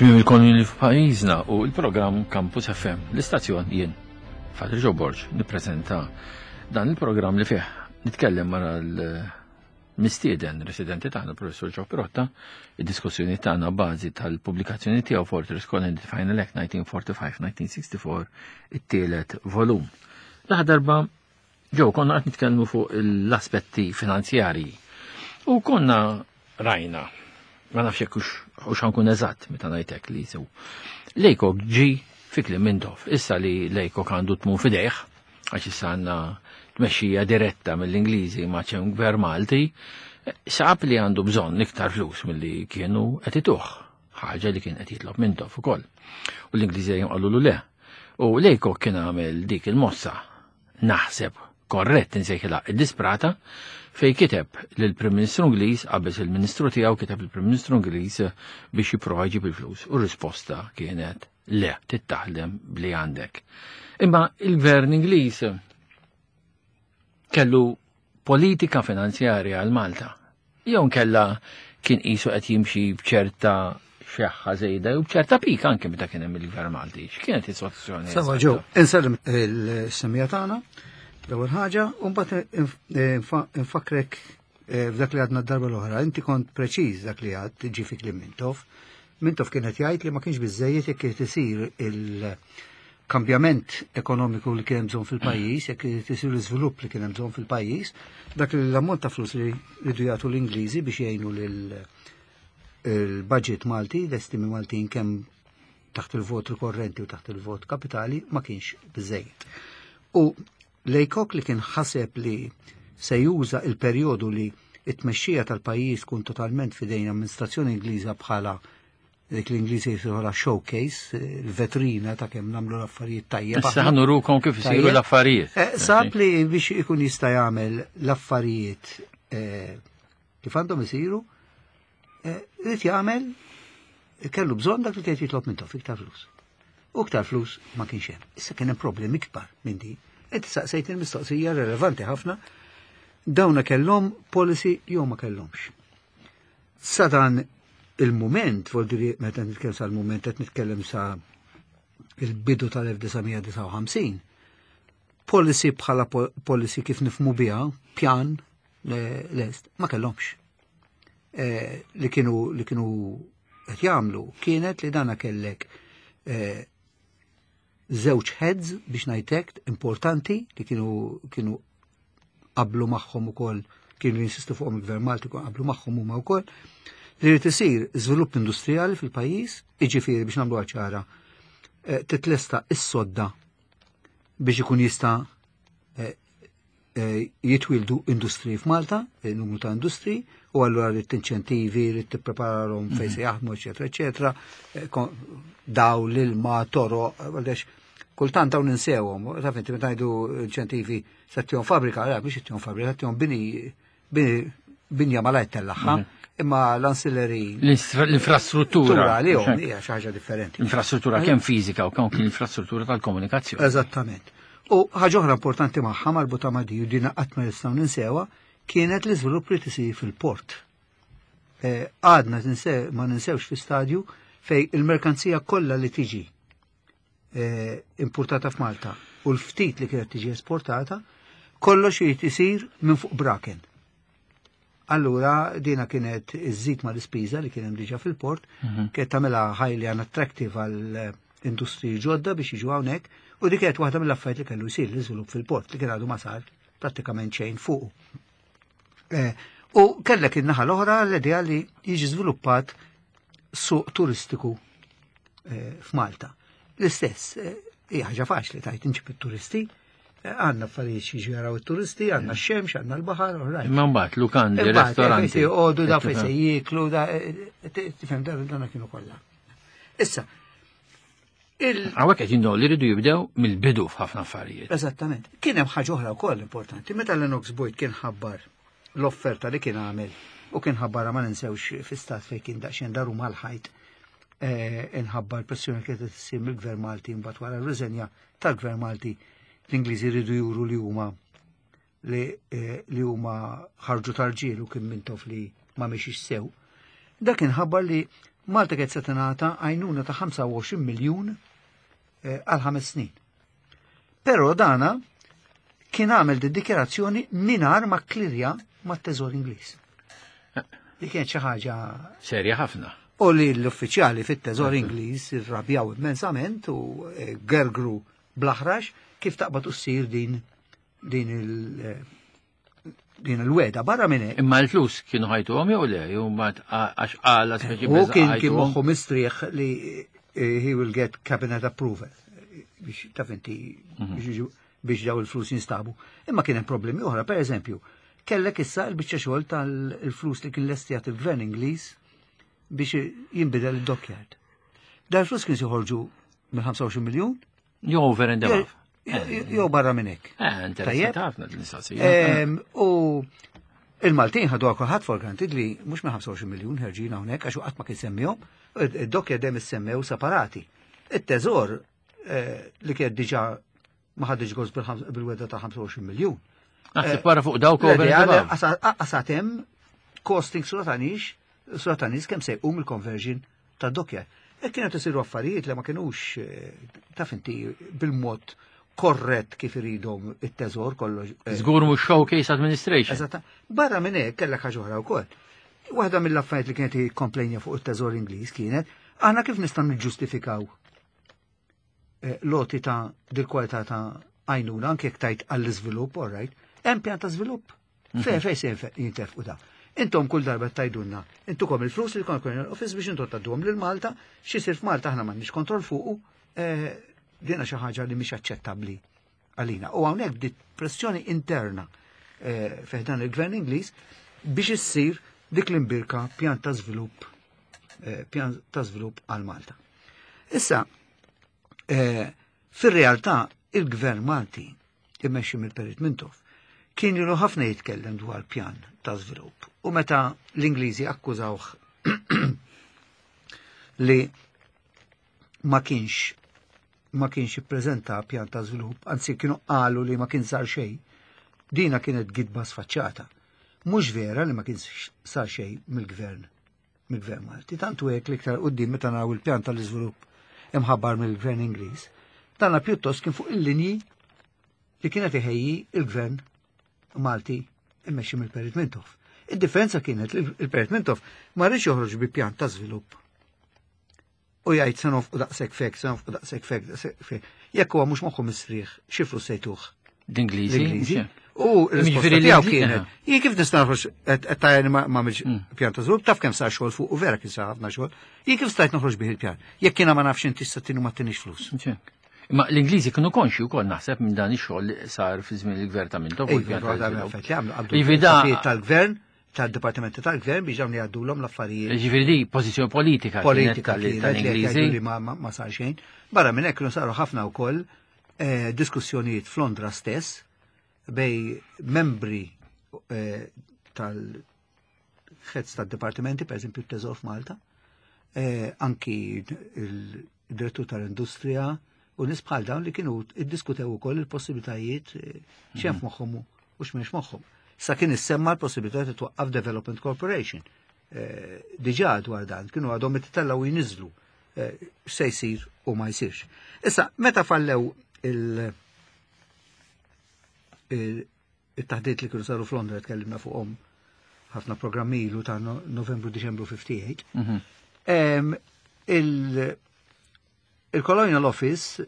Tmiem il-konjuni f'pajjiżna u l-programm Campus FM. L-istazzjon jien, Fatri Joe Borg, nippreżenta dan il-programm li fih nitkellem ma' l-mistieden residenti tagħna professor Joe Pirotta, id-diskussjoni tagħna bażi tal-pubblikazzjoni tiegħu Fortress Colony Final Act 1945-1964, it-tielet volum. L-aħħar darba Ġew konna qed nitkellmu fuq l-aspetti finanzjarji. U konna rajna, ma nafx jekk hux ħankun eżatt meta ngħidlek li sew. Lejkok ġi fi kliem Mintoff, issa li Lejkok għandu tmun fidejh, għax issa għandna tmexxija diretta mill-Ingliżi ma' ċem gvern Malti, sab li għandu bżonn iktar flus milli kienu qed ituh, ħaġa li kien qed jitlob Mintoff ukoll. U l-Ingliżi dejjem qalulu le. U Lejkok kien għamel dik il-mossa naħseb korrett insejħilha id-disprata fej kiteb lill-Prim Ministru Ingliż qabeż il-Ministru tiegħu kiteb lill-Prim Ministru Ingliż biex jipprova jġib il-flus u r-risposta kienet le tittaħdem bli għandek. Imma il-Gvern Ingliż kellu politika finanzjarja għal Malta. Jew nkella kien qisu qed jimxi b'ċerta xeħħa żejda jew b'ċerta pika anke meta kien hemm il-Gvern Malti. X'kienet is-soluzzjoni? Sawa ġew, insellem il-semija tagħna l-ewwel ħaġa u mbagħad infakrek eh, f'dak li għadna d-darba l-oħra. Inti kont preċiż dak li għad ġifi kliem Mintoff. Mintoff kienet jgħid li ma kienx biżejjed jekk irid isir il- kambjament ekonomiku li kien hemm bżonn fil-pajjiż, jekk irid isir l-iżvilupp li kien hemm bżonn fil-pajjiż, dak li l-ammont ta' flus li rridu jagħtu l-Ingliżi biex jgħinu lil il-budget Malti, l-estimi Maltin kemm taħt il-vot rikorrenti u taħt il-vot kapitali ma kienx biżejjed. U Lejkok li kien ħaseb li se juża il-perjodu li it-tmexxija tal-pajjiż tkun totalment fidejn amministrazzjoni Ingliża bħala dik l-Ingliżi jisirħola showcase, il-vetrina ta' kemm nagħmlu l-affarijiet tajjeb. Issa ħanurukom kif isiru l-affarijiet. Eh, sab li biex ikun jista' jagħmel l-affarijiet eh, kif għandhom isiru, eh, irid jagħmel kellu bżonn dak li kien jitlob minn tof iktar flus. U iktar flus ma kienx hemm. Issa kien hemm problemi ikbar minn din. Inti saqsejt il-mistoqsija relevanti ħafna dawna kellhom policy jew ma kellhomx. Sa dan il-mument, voldiri meta nitkellem sa l-mument qed nitkellem sa il-bidu tal-1959, policy bħala policy kif nifmu biha, pjan lest, ma kellhomx. Eh, li kienu li kienu qed jagħmlu kienet li dana kellek eh, żewġ heads biex ngħidlek importanti li kienu kienu qablu magħhom ukoll kienu jinsistu fuqhom il-Gvern Malti qablu magħhom huma wkoll li jrid isir żvilupp industrijali fil-pajjiż, jiġifieri biex nagħmlu ċara eh, titlesta is-sodda biex ikun jista' eh, eh, jitwildu industriji f'Malta, numru ta' industriji, u allura rrid inċentivi, rrid tippreparahom fejn se mhm. jaħdmu, eċetera, eċetera, daw l-ilma, toro, għaliex kultant dawn ninsewhom, taf inti meta ngħidu inċentivi se tihom fabbrika, la biex tihom fabbrika, tihom bini bini binja malajt tellaħħa, mhm. imma l-ancillary. L-infrastruttura. Li hija xi ħaġa differenti. Infrastruttura kemm fiżika u kemm l-infrastruttura tal-komunikazzjoni. Eżattament. U ħaġa oħra importanti magħha marbuta ma' di u dina qatt ma nistgħu ninsewha kienet l-iżvilupp li tisir fil-port. Eh, għadna ma ninsewx fi stadju fej il-merkanzija kollha li tiġi eh, importata f'Malta u l-ftit li kienet tiġi esportata, kollox irid isir minn fuq braken. Allura dina kienet iżżid ma l-ispiża li kien hemm diġà fil-port, mhm. kienet tagħmilha highly unattractive għal eh, industriji ġodda biex jiġu hawnhekk u dik kienet waħda mill-affarijiet li kellu jsir l-iżvilupp fil-port li kien għadu ma sar prattikament xejn fuq. Eh, u kellek in-naħa l-oħra l-idea li jiġi żviluppat suq turistiku eh, f'Malta. L-istess, eh, hija ħaġa faċli tajt inġib it-turisti, eh, għandna affarijiet xi jaraw it-turisti, għandna x-xemx, għandna l-baħar, Imma mbagħad lukandi, ristoranti. Joqogħdu da fejn se jieklu, da tifhem dan kienu kollha. Issa, Għawek qed jindu li rridu jibdew mill-bidu f'ħafna affarijiet. Eżattament. Kien hemm ħaġa oħra wkoll importanti. Meta Lennox Boyd kien ħabbar l-offerta li kien għamel u kien ħabbarha ma ninsewx fi stat fejn kien daqsxejn daru mal-ħajt eh, inħabba l-pressjoni kienet issir mill-Gvern Malti mbagħad wara r-riżenja tal-Gvern Malti l-Ingliżi rridu juru li huma li, eh, li huma ħarġu tarġiel u kien mintof li ma mexix sew. Dak inħabbar li Malta kienet se tingħata għajnuna ta' 25 miljun eh, għal ħames snin. Però dana kien għamel di dikjarazzjoni mingħajr ma klirja mat-Teżor Ingliż. Li kienet xi ħaġa serja ħafna. U li l-uffiċjali fit-Teżor Ingliż irrabjaw immensament u eh, gergru bl-aħrax kif taqbad u ssir din din il- eh, din il-weda barra minn hekk. Imma l-flus kienu ħajtuhom jew le, jew mbagħad għax qala speċi U kien kien moħħu mistrieħ li eh, he will get cabinet approval biex taf inti mhm. biex daw il-flus jinstabu. Imma kien hemm problemi oħra, per eżempju, kellek issa l-biċċa xogħol tal-flus li kien lestijat il-gvern Ingliż biex jinbidel id-dockyard. Dal flus kien joħorġu mill-25 miljun. Jew over and above. Jew barra minn hekk. Eh, interessanti ħafna l-mistoqsija. U il-Maltin ħadu kulħadd for granted li mhux minn 25 miljun ħerġin hawnhekk għax qatt ma kien semmihom, id-dokkja dejjem issemmew separati. It-teżor eh, li kien diġà ma ħadx gost bil-weda ta' 25 miljun. Naħseb eh, wara fuq dawk over and above. Qasatem costing suratanix, suratanis kemm se jqum il-conversion ta' dokkja. E kienet isiru affarijiet li ma kienux eh, taf inti bil-mod korrett kif iridhom it-teżor kollox. Eh. Żgur mhux showcase administration. Eżatt. Barra minn hekk kellek ħaġa oħra wkoll. Waħda mill-affarijiet li kienet komplejnja fuq it-teżor Ingliż kienet aħna kif nistgħu niġġustifikaw eh, loti ta' dil-kwalità ta' għajnuna anke jekk tajt għall-iżvilupp, all right, hemm pjan ta' żvilupp. Mhm. Fej fej se jintefqu da. Intom kull darba tajdunna, intukom il-flus li kon office biex intom tadduhom lil Malta, x'isir f'Malta aħna m'għandniex kontroll fuqu, eh, dina xi ħaġa li mhix aċċettabbli għalina. U hawnhekk bdiet pressjoni interna eh, fih dan il-gvern Ingliż biex issir dik l-imbirka pjan ta' żvilupp eh, pjan ta' żvilupp għal Malta. Issa, fir-realtà il-gvern Malti immexxi mill-Perit Mintoff kien ilu ħafna jitkellem dwar pjan ta' żvilupp. U meta l-Ingliżi akkużawh li ma kienx ma kienx ippreżenta pjan ta' żvilupp, anzi kienu qalu li ma kien sar xejn, dina kienet gidba sfaċċata. Mhux vera li ma kien sar xejn mill-gvern mill-gvern Malti. Tantu hekk l-iktar quddiem meta naraw il-pjan tal-iżvilupp imħabbar mill-gvern Ingliż, dana pjuttost kien fuq il-linji li kienet iħejji il-gvern Malti immexxi mill-Perit Mintoff. Id-differenza kienet li il-Perit Mintoff ma rridx joħroġ bi pjan ta' żvilupp u jgħid se nofqu daqshekk fek, se nofqu daqshekk fek, daqshekk fek. Jekk huwa mhux moħħu mistrieħ, xi flus se jtuh. L-Ingliżi. U l-risposta tiegħu kienet, jien kif nista' noħroġ qed tajani ma għamilx mm. pjan ta' żvilupp, taf kemm sar xogħol fuq u vera kien sar ħafna xogħol. Jien kif stajt noħroġ bih il-pjan? Jekk jiena ma nafx inti sa tinu ma tinix flus. Imma l-Ingliżi kienu konxi wkoll naħseb minn dan ix-xogħol li sar fi żmien il-gvern ta' Mintoff. Iva, tal-gvern tal-dipartimenti tal-gvern biex dawn jgħaddulhom l-affarijiet. Ġifieri di pożizzjoni politika politika tal-Ingliżi li ma sar xejn. Barra minn hekk kienu saru ħafna wkoll eh, diskussjonijiet f'Londra stess bej membri eh, tal-ħedz tad-dipartimenti, per eżempju t-Teżor f'Malta, eh, anki il-direttur tal-industrija u nies bħal dawn li kienu iddiskutew ukoll il-possibilitajiet eh, x'hemm mhm. f'moħħhom u x'mhemmx moħħhom. Sa kien issemma l-possibilità li twaqqaf Development Corporation. Eh, diġà dwar dan kienu għadhom ittellaw jniżlu eh, x'se jsir u ma jsirx. Issa, meta fallew il- it-taħdiet li kienu saru f'Londra tkellimna fuqhom ħafna programmi ilu ta' Novembru Diċembru 58. Mhm. Il-Colonial Office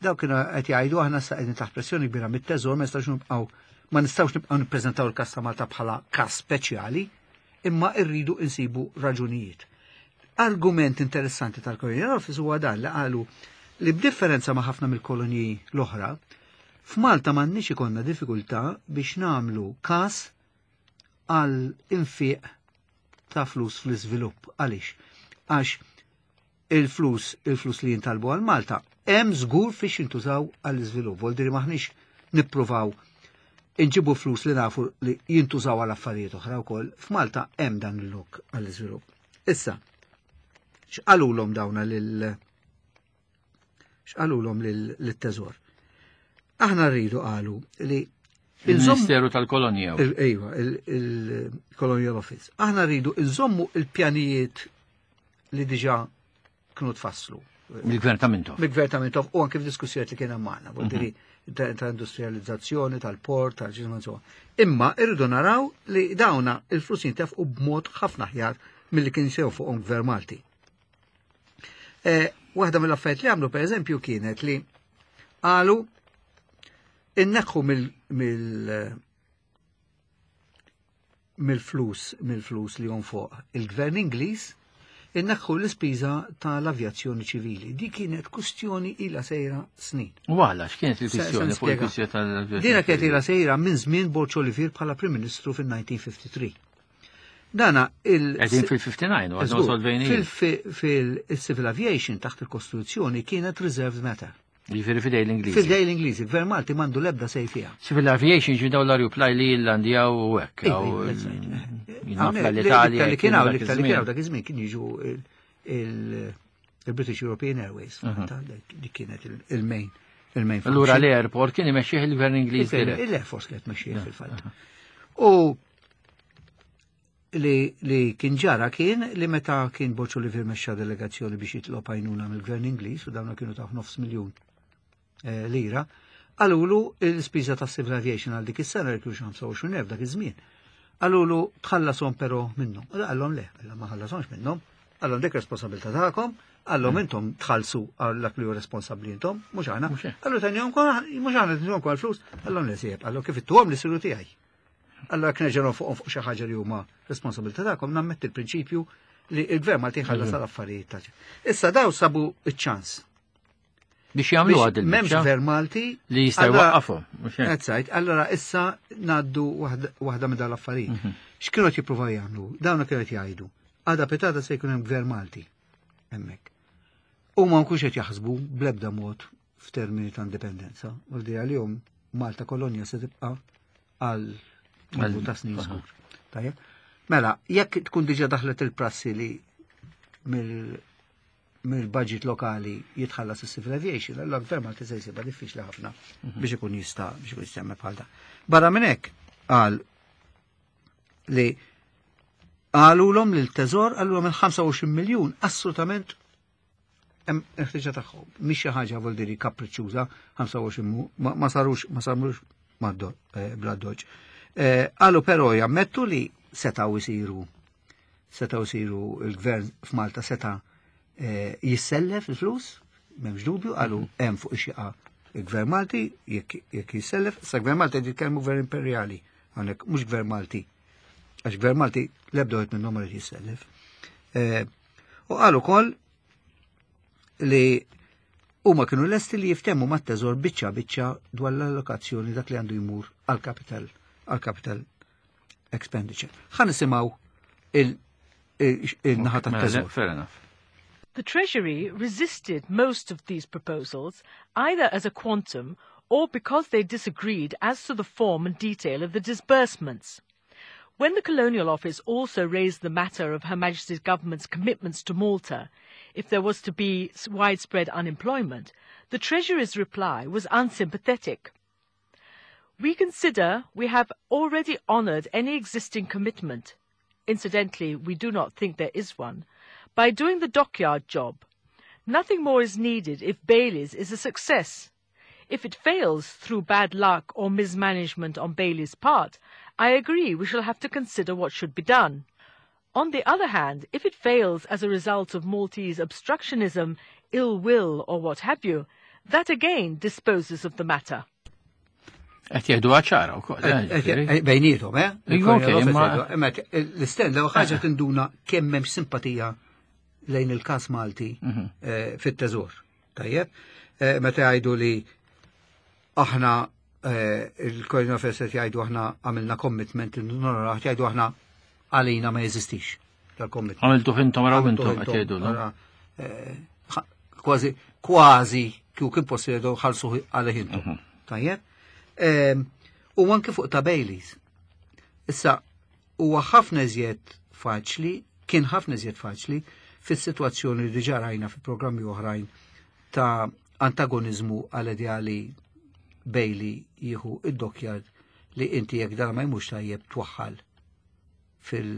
daw kienu qed jgħidu aħna sa qegħdin taħt pressjoni kbira mit-teżor ma nistgħux nibqgħu ma nistgħux nibqgħu nippreżentaw il-kas ta' Malta bħala kas speċjali, imma rridu insibu raġunijiet. Argument interessanti tal-Colonial Office huwa dan li qalu li b'differenza ma' ħafna mill-kolonji l-oħra, f'Malta m'għandniex ikollna diffikultà biex nagħmlu każ għal infiq ta' flus fl-iżvilupp. Għaliex? Għax il-flus, il-flus li jintalbu għal Malta, hemm żgur fiex jintużaw għall-iżvilupp. Vol diri maħniex nippruvaw inġibu flus li nafu li jintużaw għal affarijiet oħra wkoll. F'Malta hemm dan il-lok għall-iżvilupp. Issa, x'qalulhom dawna lil x'qalulhom lit-teżor? Aħna rridu qalu li Il-Ministeru tal-Kolonja. Ejwa, il-Colonial Office. Aħna rridu nżommu il-pjanijiet li diġà kienu tfasslu. Mill-gvern ta' Mintoff. Mill-gvern ta' Mintoff u anke f'diskussjonijiet li kien hemm magħna, vuol mhm. ta' industrializzazzjoni, tal-port, tal-ġisma insomma. Imma irridu naraw li dawna il-flus jintefqu b'mod ħafna aħjar milli kien sew fuqhom gvern Malti. Eh, waħda mill-affarijiet li għamlu pereżempju kienet li qalu inneħħu mill mill-flus mill-flus li jonfoq il-gvern Ingliż inneħħu l-ispiża tal-avjazzjoni ċivili. Di kienet kustjoni ila sejra snin. U għala, x'kienet il-kwistjoni fuq il-kwistjoni tal-avjazzjoni? Dina kienet ila sejra minn żmien Borċ Olivier bħala Prim Ministru fil-1953. Dana il- Qegħdin fil-59 u għadhom solvejni. Fil-civil aviation taħt il-Kostituzzjoni kienet reserved matter. Jiġifieri fidej l-Ingliżi. Fidej l-Ingliżi, gvern Malti m'għandu l-ebda sej fiha. Civil aviation ġi daw l-arjuplaj li jillandjaw u hekk. L-Italja. Li kien hawn, li kien hawn dak iż-żmien kien jiġu il-British European Airways, li kienet il-main. Il-main. Allura l-airport kien imexxih il-gvern Ingliż. Il-Air Force kienet mexxih fil-fatt. U li, li kien ġara kien li meta kien Boċ Olivier mexxa delegazzjoni biex jitlob għajnuna mill-Gvern Ingliż u dawna kienu ta' nofs miljun eh, lira, qalulu l-ispiża ta' civil aviation għal dik is-sena li kienu 25,000 dak iż-żmien. Qalulu tħallasom però minnhom. U qallhom le, qallhom ma ħallasomx minnhom, qallhom dik responsabilità tagħkom, qallhom mm. intom tħallsu għal dak li hu responsabbli intom, mhux aħna. Qallu tanjhom mhux aħna tinhom għal flus, qallhom le sieb, qallhom kif ittuhom li siru tiegħi. Allora jekk nerġa' fuqhom fuq xi ħaġa li huma responsabilità tagħkom, nammetti l-prinċipju li l-gvern Malti ħallas mhm. għal affarijiet ta' Issa daw sabu iċ-ċans. Biex jagħmlu għad il M'hemmx gvern Malti li jista' jwaqqafhom. Ezzajt, allora issa ngħaddu waħda minn dal-affarijiet. Mhm. X'kienu qed jippruvaw jagħmlu? Dawn kienu qed jgħidu. Għada pitada se jkun hemm gvern Malti hemmhekk. U ma nkunx qed jaħsbu bl-ebda mod f'termini ta' indipendenza. U li għalihom Malta kolonja se tibqa' għal numru ta' snin żgur. Tajjeb? Mela, jekk tkun diġà daħlet il-prassi li mill-budget lokali jitħallas is-civil aviation, allora gvern Malti se jsibha diffiċli ħafna mhm. biex ikun jista' biex ikun jista' bħal dan. Barra minn hekk qal li qalulhom lil teżor qalulhom il-25 miljun assolutament hemm il-ħtiġa tagħhom. Mhix xi ħaġa vuol diri kapriċċuża 25 ma sarux ma sarux eh, bla doġ. Eh, qalu però jammettu li setgħu jsiru setgħu jsiru il-gvern f'Malta seta' eh, jissellef il-flus, m'hemmx dubju, qalu mhm. hemm fuq ix-xieqa il-gvern Malti jekk jissellef, sa gvern Malti qed jitkellmu gvern imperjali, hawnhekk mhux gvern Malti. Għax gvern Malti l-ebda wieħed minnhom ma jissellef. U qal ukoll li huma kienu lesti li jiftemu mat-teżor biċċa biċċa dwar l-allokazzjoni dak li għandu jmur għal capital għal capital expenditure. Ħa nisimgħu il-naħa mela, tat-teżor. Fair enough. The Treasury resisted most of these proposals, either as a quantum or because they disagreed as to the form and detail of the disbursements. When the Colonial Office also raised the matter of Her Majesty's government's commitments to Malta, if there was to be widespread unemployment, the Treasury's reply was unsympathetic. We consider we have already honoured any existing commitment. Incidentally, we do not think there is one, by doing the dockyard job. Nothing more is needed if Bailey's is a success. If it fails through bad luck or mismanagement on Bailey's part, I agree we shall have to consider what should be done. On the other hand, if it fails as a result of Maltese obstructionism, ill will, or what have you, that again disposes of the matter. Qed jgħidu ċara wkoll. Eh, eh, eh, bejnietom, eh? Imma l-istend l ħaġa tinduna kemm hemm simpatija lejn il-każ Malti mhm. fit-teżor. Tajjeb, meta jgħidu li aħna il-Colonial Affairs qed jgħidu aħna għamilna commitment, nora jgħidu aħna għalina ma jeżistix dal-commitment. Għamiltu intom raw intom qed jgħidu. Kważi, kważi kieku kien possibbli ħalsu għalih intom. Mhm. Tajjeb. Ehm, u anke fuq ta' Baileys. Issa, huwa ħafna iżjed faċli, kien ħafna iżjed faċli fis-sitwazzjoni li diġà rajna fi programmi oħrajn ta' antagonizmu għal ideali Bailey jieħu id-dockyard li inti jekk dan ma jmux tajjeb twaħħal fil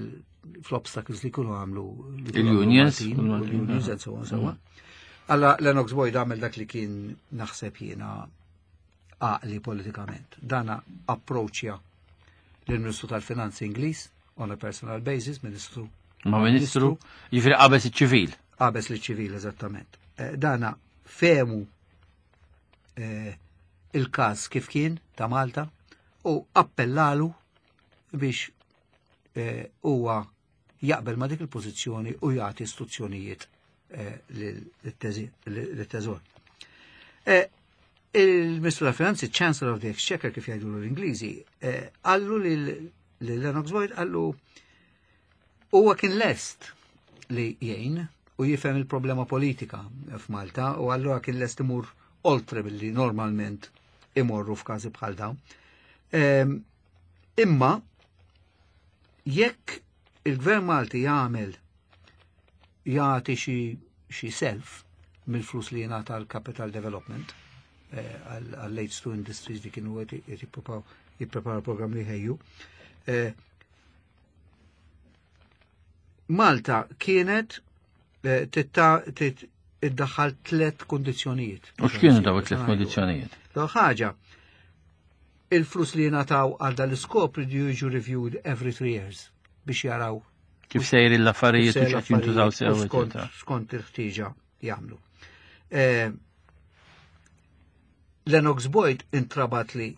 fl-obstacles li kienu għamlu il-unions, il-unions and so on, so on. Alla Lennox Boyd għamel dak li kien naħseb jiena għaqli politikament. Dana approċja l-Ministru tal-Finanzi Ingliż on a personal basis, Ministru. Ma Ministru, jiġifieri qabeż iċ-ċivil. Qabeż l-ċivil, eżattament. Dana fehmu il-każ kif kien ta' Malta u appellalu biex huwa jaqbel ma' dik il-pożizzjoni u jagħti istruzzjonijiet lit-teżor. Il-Ministru tal-Finanzi, Chancellor of the Exchequer, kif jgħidu l-Ingliżi, qallu lil Lennox Boyd, qallu huwa kien lest li jgħin u jifhem il-problema politika f'Malta u allura kien lest imur oltre billi normalment imorru f'każi bħal dawn. Imma jekk il-Gvern Malti jagħmel jagħti xi self mill-flus li jingħata għal capital development għall-H2 Industries li kienu qed jippreparaw program li ħejju. Malta kienet iddaħħal 3 kondizzjonijiet. U x'kienu daw it-tliet kondizzjonijiet? Daw ħaġa, il-flus li jingħataw għal dal-iskop ridu jiġu reviewed every 3 years biex jaraw kif sejri l-affarijiet u x'qed jintużaw sew, eċetera. Skont il-ħtieġa jagħmlu. Lennox Boyd intrabat li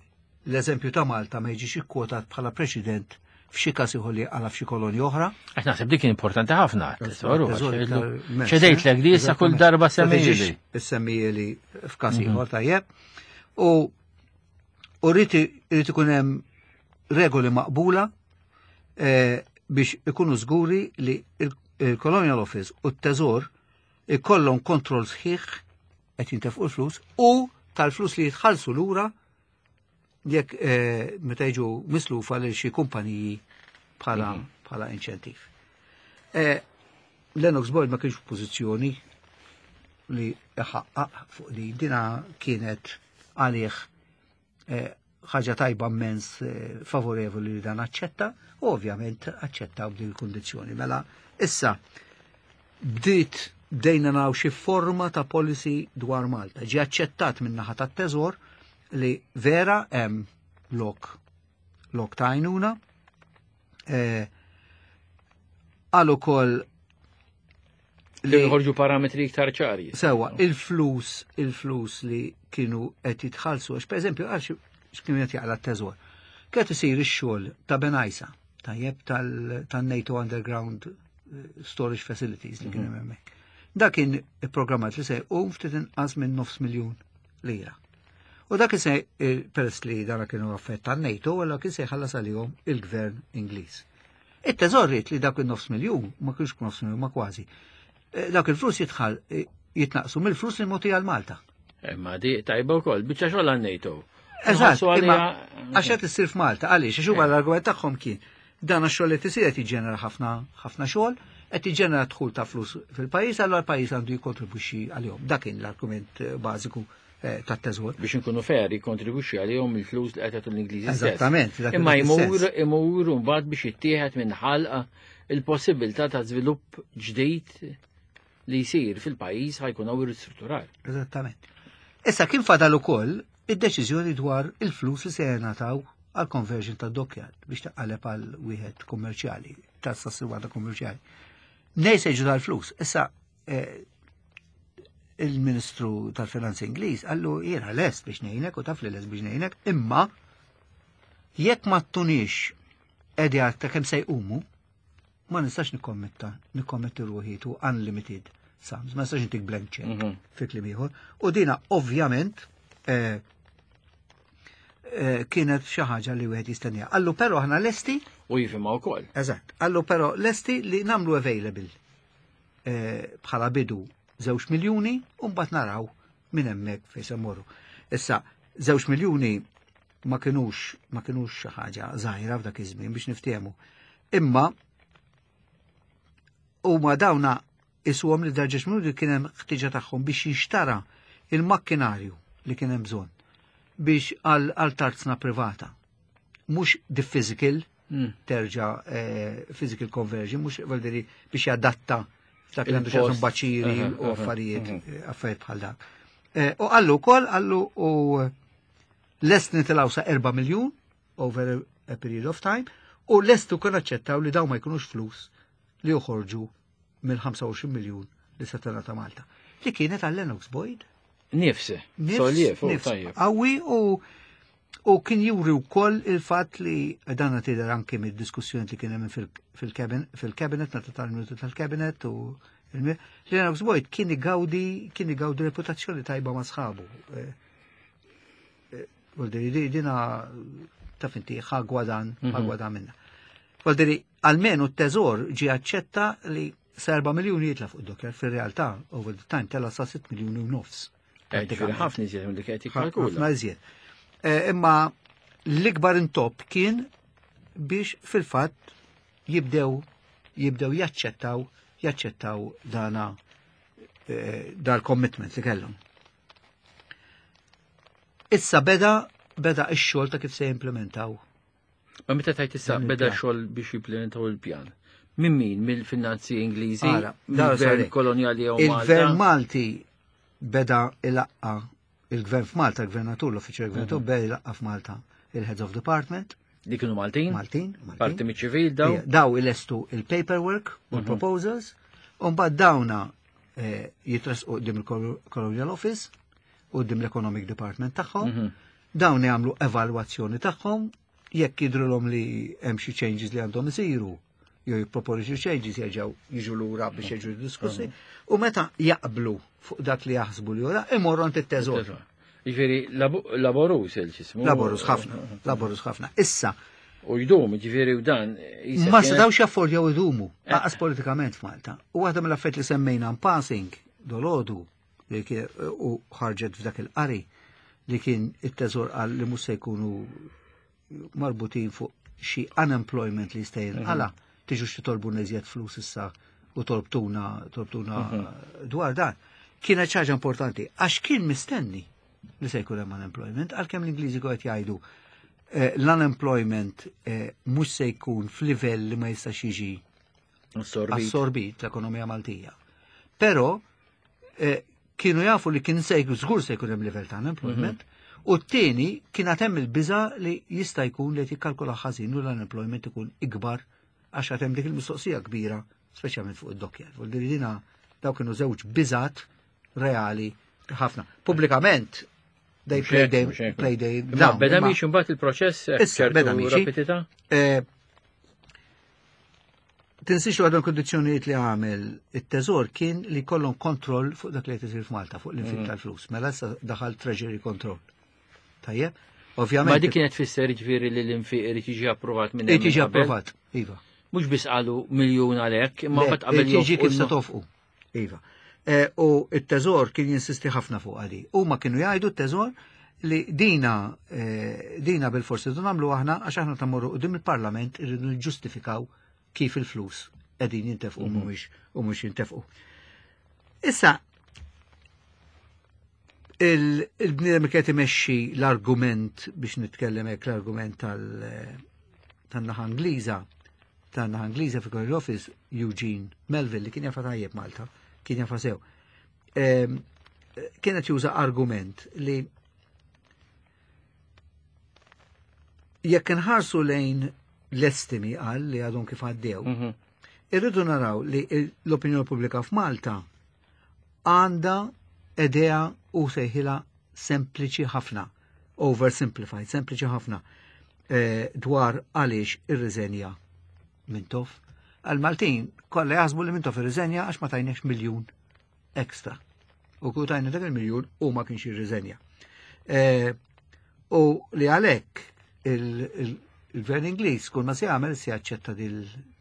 l-eżempju ta' Malta ma jiġix ikkwotat bħala preċedent f'xi każ ieħor li għala f'xi kolonja oħra. Għax naħseb dik importanti ħafna, Tesoru, tesoru, tesoru, għax iktar mezz, ċedejtlek di issa kull Eżattament. darba Ma tiġix semmijieli. Semmijieli f'każ ieħor tajjeb. U rrid ikun hemm regoli maqbula biex ikunu żguri li il-Colonial Office u t-Teżor ikollhom kontroll sħiħ qed jintefqu l-flus u tal-flus li jitħallsu lura jekk meta jiġu mislufa lil xi kumpaniji bħala inċentiv. Lennox Boyd ma kienx f'pożizzjoni li iħaqqaq fuq li dina kienet għalih ħaġa tajba immens favorevoli li dan aċċetta, u ovvjament aċċetta b'din il-kundizzjoni. Mela issa bdejna naraw xi forma ta' policy dwar Malta. Ġie aċċettat min-naħa tat-Teżor li vera hemm lok ta' għajnuna. Għal ukoll li jħorġu parametri iktar ċari. Sewa, il-flus li kienu qed jitħallsu, għax pereżempju għax x'kienu qed jaqla t-teżor. Kien isir ix-xogħol ta' Bengħajsa, tajjeb tan-NATO Underground Storage Facilities li kien hemm hemmhekk. Dak kien ipprogrammat li se jqum ftit inqas minn nofs miljun lira. U dak se, peress li dan kienu affett tan-NATO, allura kien se jħallas għalihom il-gvern Ingliż. It-teżor ried li dak il-nofs miljun, ma kienx nofs miljun, ma kważi. Dak il-flus jitnaqsu mill-flus li mogħti għal Malta. Ma di tajba wkoll, biċċa xogħol għan-NATO. Eżatt, Nħossu imma għalija għax qed issir f'Malta, għaliex? Għax huma l-argument tagħhom kien dan għax-xogħol li tisir qed jiġġenera ħafna xogħol, qed jiġġenera dħul ta' flus fil-pajjiż, allura l-pajjiż għandu jikkontribwixxi għalihom. Dak kien l-argument bażiku tat-teżor. Biex inkunu fair, jikkontribwixxi għalihom il-flus li qed jagħtu l-Ingliżi stess. Eżattament, dak Imma il-sens. imur mbagħad biex jittieħed minn ħalqa il-possibilità ta' żvilupp ġdid li jsir fil-pajjiż ħajkun hawn ristrutturar. Eżattament. Issa kien fadal ukoll id-deċiżjoni dwar il-flus li se jingħataw għal conversion ta' dockyard biex taqaleb għal wieħed kummerċjali, tas-sassirwata kummerċjali. Nej se jiġu tal-flus. Issa il-Ministru tal-Finanzi Ingliż qallu jiena lest biex ngħinek u taf li lest biex ngħinek, imma jekk ma ttunix idea ta' kemm se jqumu, ma nistax nikkommetti ruħi to unlimited sums, ma nistax intik blank check fi kliem ieħor. U dina ovvjament kienet xi ħaġa li wieħed jistennija. Allu però aħna lesti U jifhimha wkoll. Eżatt, allu però lesti li nagħmlu available bħala bidu 2 miljuni u mbagħad naraw minn hemmhekk fejn se mmorru. Issa 2 miljuni ma kinux xi ħaġa żgħira f'dak iż-żmien biex niftehmu. Imma huma dawna isuhom li darġex minuti kien hemm ħtiġa tagħhom biex jinxtara il-makkinarju li kien hemm bżonn biex għal tarzna privata. Mhux the physical Terġa' physical conversion, mhux vuol biex jadatta f'dak li għandu x'jaqsam baċiri u affarijiet affarijiet bħal dak. U qallu wkoll qallu u lest nitilgħu sa 4 miljun over a period of time u lest ukoll aċċettaw li dawn ma jkunux flus li joħorġu mill-25 miljun li se tingħata Malta. Li kienet għal Lennox Boyd. Nifs, Nifs, tajjeb. Qawwi u kien juri wkoll il-fatt li dan tidher anke mid-diskussjoni li kien hemm fil-cabinet, meta tal-minuti tal-cabinet u li Lennox Boyd kien igawdi reputazzjoni tajba ma' sħabu. Vuol dire, dina taf inti ħa gwadann, ħa gwadann minna. Vuol dire, almenu t-teżor ġi aċċetta li sa 4 miljoni jitla fuq id-dockyard, fil-realtà, over the time, tela sa 6 miljoni u nofs. Ġifieri ħafna iżjed milli kienet jikkalkula. Ħafna iżjed. Imma l-ikbar intop kien biex fil-fatt jibdew jaċċettaw dana dal-commitment li kellhom. Issa beda ix-xogħol ta' kif se jimplementaw. Ma meta tajt issa Dan beda il-pjan. xogħol biex jimplementaw il-pjan. Min min? Mill-finanzi Ingliżi, Ara, mill-gvern sorry. kolonjali jew Il-gvern Malta. Malti beda ilaqqa il-gvern f'Malta, il-gvernatur, l-uffiċjal gvernatur beda ilaqqa f'Malta il-Heads of Department, Li kienu Maltin? Maltin, Maltin. Parti miċ-ċivil daw? Ija, daw ilestu il-paperwork u l-proposals, u mbagħad dawna jitresqu quddiem il-Colonial Office u quddiem l-Economic Department tagħhom, dawn jagħmlu evalwazzjoni tagħhom, jekk jidhrilhom li hemm xi changes li għandhom isiru, jew jipproponi xi changes jerġgħu jiġu lura biex jiġu diskussi, u meta jaqblu fuq dak li jaħsbu li ora, imorru għand it-teżor. Ġifieri laborus il-ġismu. Laborus ħafna, laborus ħafna. Issa, U jdum, ġifieri u dan. Ma setawx jaffordjaw idumu, lanqas politikament f'Malta. U waħda mill-affarijiet li semmejna in passing dolodu li u ħarġet f'dak il-qari li kien it-teżor qal li mhux se jkunu marbutin fuq xi unemployment li jista' jinqala, tiġu xi tolbu iżjed flus issa u tolbtuna dwar dan. Kienet ħaġa importanti għax kien mistenni li se jkun hemm unemployment, għalkemm l-Ingliżi qed jgħidu l-unemployment mhux se jkun f'livell li ma jistax jiġi Assorbit. assorbit l-ekonomija Maltija. Però kienu jafu li kien se jkun żgur se jkun hemm livell ta' unemployment, u t-tieni kien għad hemm il-biża li jista' jkun li qed jikkalkula ħażin u l-unemployment ikun ikbar għax għad hemm dik il-mistoqsija kbira, speċjalment fuq id-dockyard. Vuol dire dina daw kienu żewġ biżat reali ħafna. Pubblikament they play they play they Ma down. beda miexi mbagħad il-proċess Issa, beda ċertu miexi. rapidità? Tinsiex li għadhom kondizjonijiet li għamel it-teżor kien li kollhom kontroll fuq dak li qed isir f'Malta, fuq l-infiq tal-flus. Mela issa daħal Treasury Control. Tajjeb? Ovvjament. Ma dik kienet tfisser ġifieri li l-infiq irid jiġi approvat minn Irid hemm jiġi qabel? approvat, iva. Mhux biss qalu miljun għalhekk, imma Le, mbagħad qabel irid jiġi kif se joffqu tofqu. Iva. U it-teżor kien jinsisti ħafna fuq għadi. Huma kienu jgħidu t-teżor li dina bil-forsi dun nagħmlu aħna għax aħna tammorru quddiem il-Parlament irridu niġġustifikaw kif il-flus qegħdin jintefqu u mhux jintefqu. Issa il-bniedem li qed imexxi l-argument biex nitkellem hekk l-argument tan-naħa Ingliża tan-naħa Ingliża fi Colonial Office Eugene Melville li kien jafa tajjeb Malta, kien jafa sew. Kienet juża argument li jekk inħarsu lejn l-estimi għal li għadhom kif għaddew, irridu naraw li l-opinjoni pubblika f'Malta għandha idea u sejħila sempliċi ħafna, oversimplified, sempliċi ħafna, dwar għaliex irriżenja Mintoff. Għal-Maltin kollha jaħsbu li Mintoff irriżenja għax ma tajniex miljun ekstra. U kieku tajna dak il-miljun u ma kienx irriżenja. U li għalhekk il-gvern Ingliż kull ma se jagħmel se jaċċetta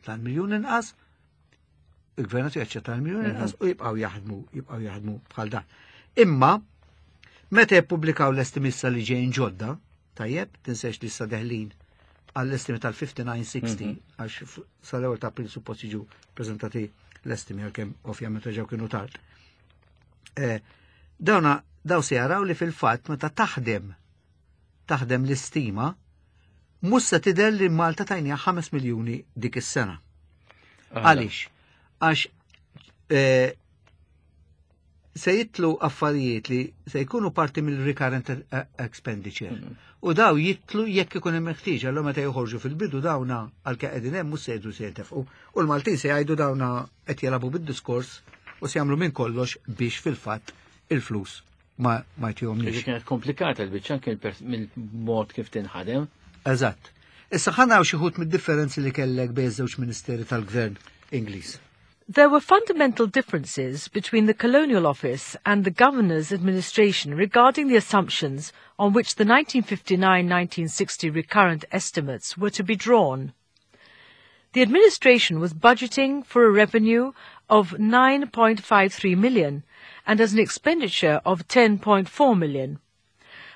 tal-miljun inqas, il-gvern jaċċetta l-miljun inqas u jibqgħu jaħdmu bħal dan. Imma meta jippubblikaw l-estimi issa li ġejjin ġodda, tajjeb, tinsex li issa deħlin għall-estimi tal-59-60, għax sal-ewwel ta' April suppost jiġu preżentati l-estimi għalkemm ovvjament reġgħu kienu tard. Dawna daw se jaraw li fil-fatt meta taħdem l-istima Mhux se tidher li Malta tajniha 5 miljuni dik is-sena. Għaliex? Għax eh, se jitlu affarijiet li se jkunu parti mill-recurrent expenditure. U daw jitlu jekk ikun hemm ħtieġa allura meta joħorġu fil-bidu dawna għalkemm qegħdin hemm mhux se jgħidu se jintefqu. U l-Maltin se jgħidu dawna qed jilagħbu bid-diskors u se jagħmlu minn kollox biex fil-fatt il-flus ma ma jtihomniex. Kienet komplikata l-biċċa anke mill-mod kif tinħadem. Eżatt. Issa ħa naraw xi wħud mid-differenzi li kellek bejn żewġ ministeri tal-gvern Ingliż. There were fundamental differences between the Colonial Office and the Governor's administration regarding the assumptions on which the 1959-1960 recurrent estimates were to be drawn. The administration was budgeting for a revenue of 9.53 million and as an expenditure of 10.4 million.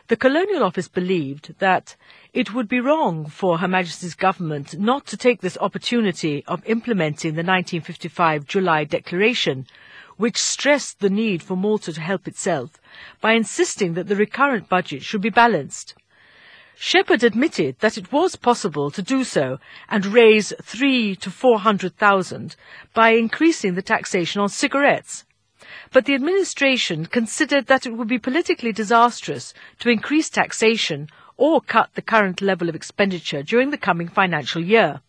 The Colonial Office believed that it would be wrong for Her Majesty's government not to take this opportunity of implementing the 1955 July Declaration, which stressed the need for Malta to help itself, by insisting that the recurrent budget should be balanced. Shepherd admitted that it was possible to do so and raise 3 to 400,000 by increasing the taxation on cigarettes. But the administration considered that it would be politically disastrous to increase taxation or cut the current level of expenditure during the coming financial year.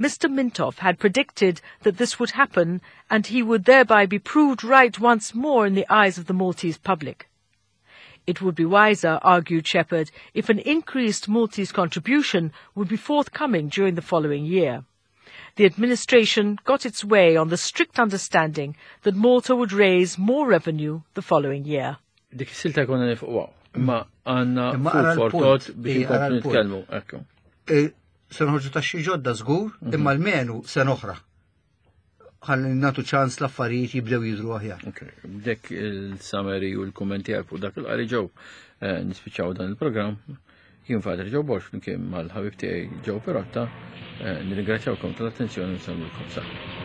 Mr. Mintoff had predicted that this would happen and he would thereby be proved right once more in the eyes of the Maltese public. It would be wiser, argued Shepherd, if an increased Maltese contribution would be forthcoming during the following year. The administration got its way on the strict understanding that Malta would raise more revenue the following year. Dik is-silta konna nifqwa. Imma għandna food for thought biex inkomplu nitkellmu. Ekku. E, se noħorġu taxxi ġodda żgur, imma almenu sena oħra. Ħalli nagħtu ċans l-affarijiet jibdew jidru aħjar. Dek il-summary u l-kummenti għal fuq dak il-qari ġew eh, nispiċċaw dan il-programm. Jien Father Joe Borg flimkien mal-ħabib tiegħi Joe Perotta, eh, nirringrazzjawkom tal-attenzjoni u nsellmulkom saħħa.